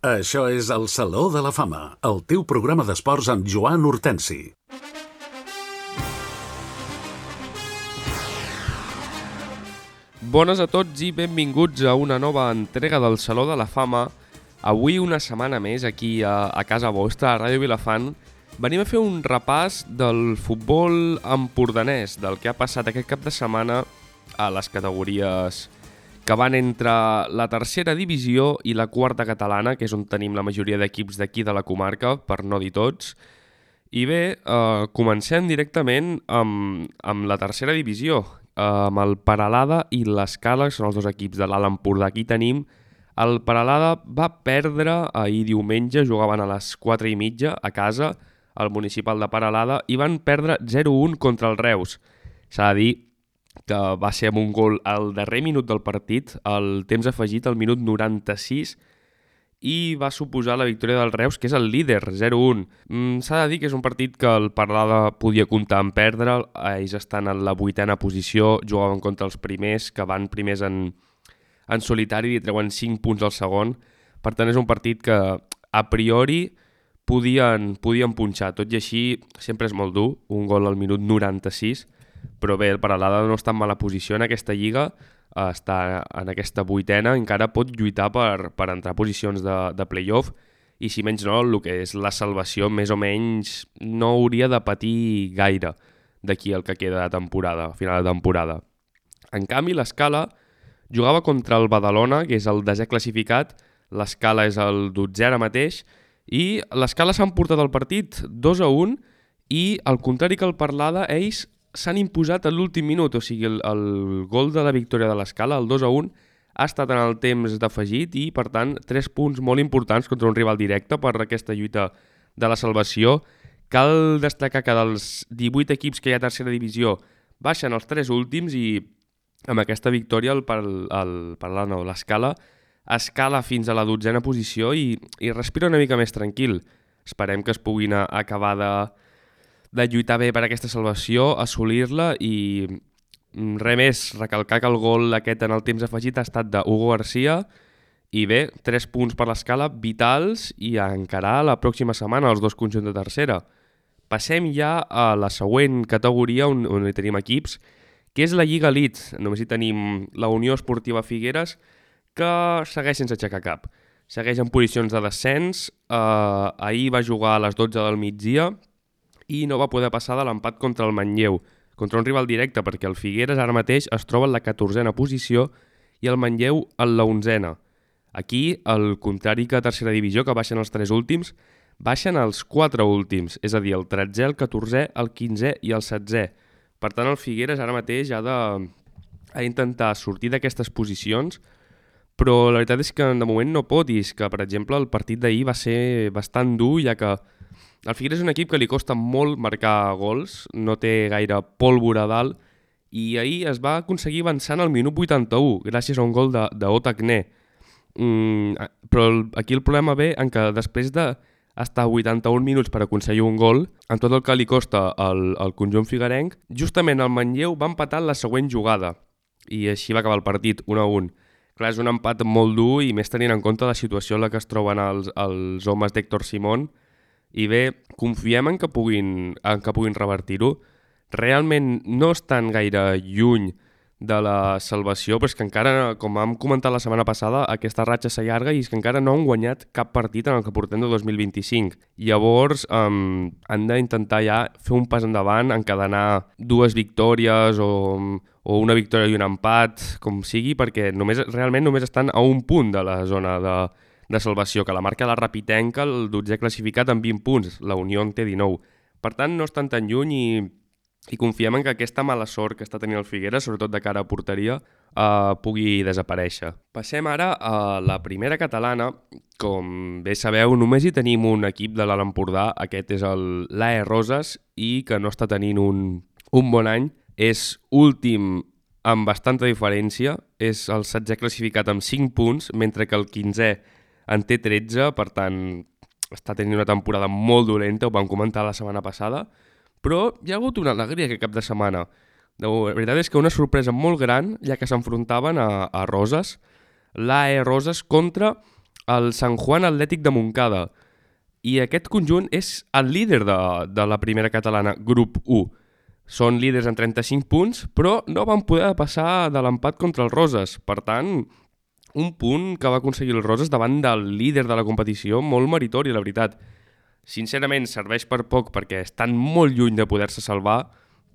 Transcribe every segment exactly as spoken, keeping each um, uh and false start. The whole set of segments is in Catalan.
Això és el Saló de la Fama, el teu programa d'esports amb Joan Hortensi. Bones a tots i benvinguts a una nova entrega del Saló de la Fama. Avui, una setmana més, aquí a, a casa vostra, a Ràdio Vilafant, venim a fer un repàs del futbol empordanès, del que ha passat aquest cap de setmana a les categories que van entre la tercera divisió i la quarta catalana, que és on tenim la majoria d'equips d'aquí de la comarca, per no dir tots. I bé, eh, comencem directament amb, amb la tercera divisió, eh, amb el Peralada i l'Escala, que són els dos equips de l'Alt Empordà. Aquí tenim el Peralada va perdre ahir diumenge, jugaven a les quatre i mitja a casa, al municipal de Peralada, i van perdre zero a un contra el Reus. S'ha de dir que va ser amb un gol al darrer minut del partit, el temps afegit al minut noranta-sis, i va suposar la victòria del Reus, que és el líder, zero a un. Mm, S'ha de dir que és un partit que el Peralada podia comptar en perdre, ells estan en la vuitena posició, jugaven contra els primers, que van primers en, en solitari i treuen cinc punts al segon. Per tant, és un partit que a priori podien, podien punxar, tot i així sempre és molt dur, un gol al minut noranta-sis, però bé, el Peralada no està en mala posició en aquesta lliga, està en aquesta vuitena, encara pot lluitar per, per entrar a posicions de, de play-off, i si menys no, el que és la salvació més o menys no hauria de patir gaire d'aquí el que queda de temporada, final de temporada. En canvi, l'Escala jugava contra el Badalona, que és el desè classificat, l'Escala és el dotzè ara mateix, i l'Escala s'han portat el partit dos a un, i al contrari que el Peralada, ells s'han imposat a l'últim minut, o sigui, el, el gol de la victòria de l'Escala, el dos a un, ha estat en el temps d'afegit i, per tant, tres punts molt importants contra un rival directe per aquesta lluita de la salvació. Cal destacar que dels divuit equips que hi ha a tercera divisió baixen els tres últims i amb aquesta victòria el, el, el, el no, l'Escala escala fins a la dotzena posició i, i respira una mica més tranquil. Esperem que es puguin acabar de de lluitar bé per aquesta salvació, assolir-la i res més, recalcar que el gol aquest en el temps afegit ha estat d'Hugo García i bé, tres punts per l'Escala vitals i a encarar la pròxima setmana els dos conjunts de tercera. Passem ja a la següent categoria on, on hi tenim equips, que és la Lliga Elite. Només hi tenim la Unió Esportiva Figueres, que segueix sense aixecar cap. Segueix en posicions de descens, eh, ahir va jugar a les dotze del migdia, i no va poder passar de l'empat contra el Manlleu, contra un rival directe, perquè el Figueres ara mateix es troba en la catorzena posició i el Manlleu en la onzena. Aquí, al contrari que a tercera divisió, que baixen els tres últims, baixen els quatre últims, és a dir, el tretzè, el catorzè, el quinzè i el setzè. Per tant, el Figueres ara mateix ha de ha d'intentar sortir d'aquestes posicions, però la veritat és que de moment no pot, i és que, per exemple, el partit d'ahir va ser bastant dur, ja que el Figueres és un equip que li costa molt marcar gols, no té gaire pólvora a dalt, i ahir es va aconseguir avançant al minut vuitanta-u, gràcies a un gol d'Otagné. Mm, però el, aquí el problema ve en que després d'estar vuitanta-un minuts per aconseguir un gol, amb tot el que li costa al, al conjunt figuerenc, justament el Manlleu va empatar la següent jugada, i així va acabar el partit, un a un. Clar, és un empat molt dur, i més tenint en compte la situació en la que es troben els, els homes d'Héctor Simón. I bé, confiem en que puguin, en que puguin revertir-ho. Realment no estan gaire lluny de la salvació, però és que encara, com vam comentar la setmana passada, aquesta ratxa s'allarga i és que encara no han guanyat cap partit en el que portem de dos mil vint-i-cinc. Llavors, um, han d'intentar ja fer un pas endavant, encadenar dues victòries o, o una victòria i un empat, com sigui, perquè només, realment només estan a un punt de la zona de de salvació, que la marca la Rapitenca, el dotzè classificat amb vint punts, la Unió en té dinou. Per tant, no estan tan lluny i, i confiem en que aquesta mala sort que està tenint el Figueres, sobretot de cara a porteria, eh, pugui desaparèixer. Passem ara a la primera catalana. Com bé sabeu, només hi tenim un equip de l'Alt Empordà, aquest és l'A E Roses, i que no està tenint un, un bon any. És últim amb bastanta diferència, és el setzè classificat amb cinc punts, mentre que el quinzè en té tretze, per tant, està tenint una temporada molt dolenta, ho vam comentar la setmana passada, però hi ha hagut una alegria aquest cap de setmana. La veritat és que una sorpresa molt gran, ja que s'enfrontaven a, a Roses, l'A E Roses contra el Sant Juan Atlètic de Montcada. I aquest conjunt és el líder de, de la primera catalana, grup u. Són líders en trenta-cinc punts, però no van poder passar de l'empat contra els Roses. Per tant, un punt que va aconseguir els Roses davant del líder de la competició, molt meritori, la veritat. Sincerament, serveix per poc perquè estan molt lluny de poder-se salvar,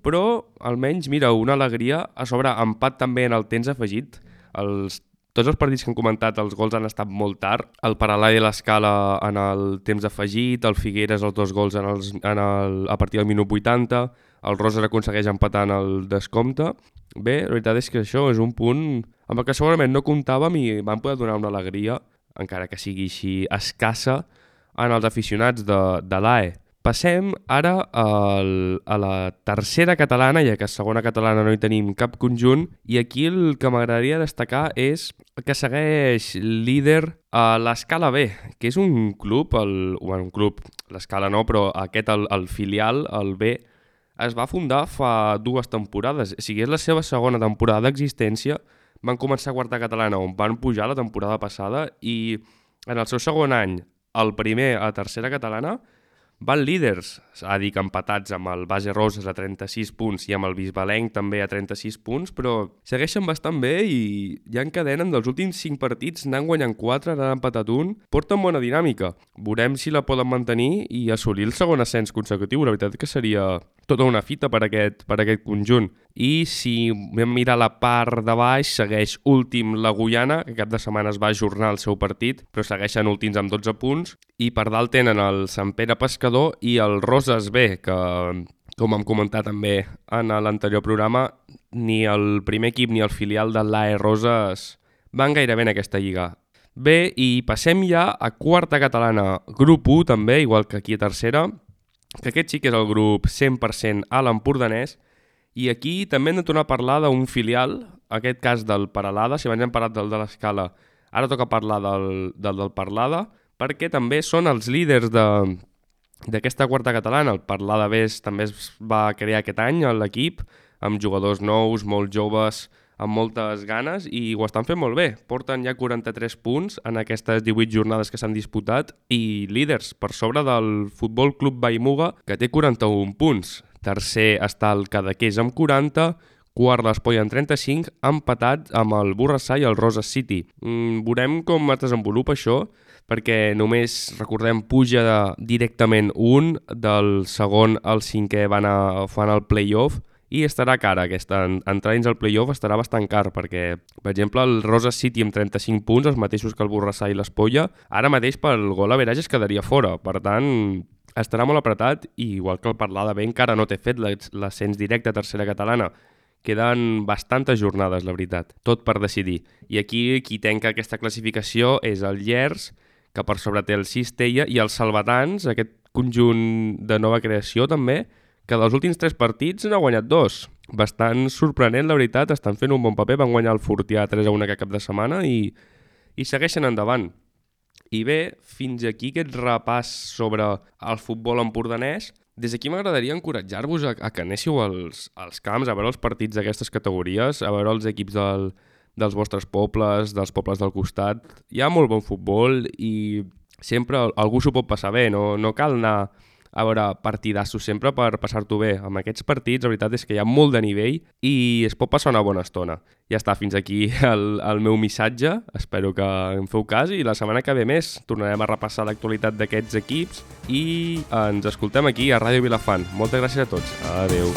però almenys, mira, una alegria. A sobre, empat també en el temps afegit. Els Tots els partits que han comentat, els gols han estat molt tard. El Paralà i l'Escala en el temps afegit, el Figueres els dos gols en els, en el, a partir del minut vuitanta, el Roses aconsegueix empatar en el descompte. Bé, la veritat és que això és un punt amb el que segurament no comptàvem i van poder donar una alegria, encara que sigui així escassa, en els aficionats de, de l'A E. Passem ara al, a la tercera catalana, ja que a segona catalana no hi tenim cap conjunt, i aquí el que m'agradaria destacar és que segueix líder a l'Escala B, que és un club, el, bueno, un club, l'Escala no, però aquest, el, el filial, el B, es va fundar fa dues temporades. O sigui, és la seva segona temporada d'existència. Van començar a quarta catalana, on van pujar la temporada passada, i en el seu segon any, el primer a tercera catalana, van líders, a dir que empatats amb el Base Roses a trenta-sis punts i amb el Bisbalenc també a trenta-sis punts, però segueixen bastant bé i ja encadenen dels últims cinc partits, n'han guanyat quatre, n'han empatat un, porten bona dinàmica. Veurem si la poden mantenir i assolir el segon ascens consecutiu. La veritat que seria tota una fita per aquest, per aquest conjunt. I si vam mirar la part de baix, segueix últim la Guyana, que cap de setmana es va ajornar el seu partit, però segueixen últims amb dotze punts, i per dalt tenen el Sant Pere Pescador i el Roses B, que, com hem comentat també en l'anterior programa, ni el primer equip ni el filial de l'A E Roses van gaire bé en aquesta lliga. Bé, i passem ja a quarta catalana, grup u també, igual que aquí a tercera, que aquest sí que és el grup cent per cent a l'Empordanès, i aquí també hem de tornar a parlar d'un filial, en aquest cas del Paralada. Si abans hem parlat del de l'Escala, ara toca parlar del, del del Parlada, perquè també són els líders de, d'aquesta quarta catalana. El Parlada B també es va crear aquest any a l'equip, amb jugadors nous, molt joves, amb moltes ganes, i ho estan fent molt bé. Porten ja quaranta-tres punts en aquestes divuit jornades que s'han disputat i líders per sobre del Futbol Club Vallmuga, que té quaranta-un punts. Tercer està el Cadaqués amb quaranta, quart l'Espolla amb trenta-cinc, empatat amb el Borrassà i el Roses City. Mm, veurem com es desenvolupa això, perquè només, recordem, puja de, directament un, del segon al cinquè van a, fan el play-off, i estarà car aquesta. Entrar dins el play-off estarà bastant car, perquè, per exemple, el Roses City amb trenta-cinc punts, els mateixos que el Borrassà i l'Espolla, ara mateix pel gol average es quedaria fora. Per tant, estarà molt apretat, i igual que el Parlada B encara no té fet l'ascens directe a tercera catalana. Queden bastantes jornades, la veritat, tot per decidir. I aquí qui tanca aquesta classificació és el Llers, que per sobre té el Cistella, i els Salvatans, aquest conjunt de nova creació també, que dels últims tres partits n'ha guanyat dos. Bastant sorprenent, la veritat, estan fent un bon paper, van guanyar el Fortià tres a un aquest cap de setmana i, i segueixen endavant. I bé, fins aquí aquest repàs sobre el futbol empordanès. Des d'aquí m'agradaria encoratjar-vos a, a que anéssiu als, als camps, a veure els partits d'aquestes categories, a veure els equips del, dels vostres pobles, dels pobles del costat. Hi ha molt bon futbol i sempre algú s'ho pot passar bé, no, no cal anar a veure partidassos sempre per passar-t'ho bé. Amb aquests partits, la veritat és que hi ha molt de nivell i es pot passar una bona estona. Ja està, fins aquí el, el meu missatge. Espero que em feu cas i la setmana que ve més tornarem a repassar l'actualitat d'aquests equips i ens escoltem aquí a Ràdio Vilafant. Moltes gràcies a tots. Adéu.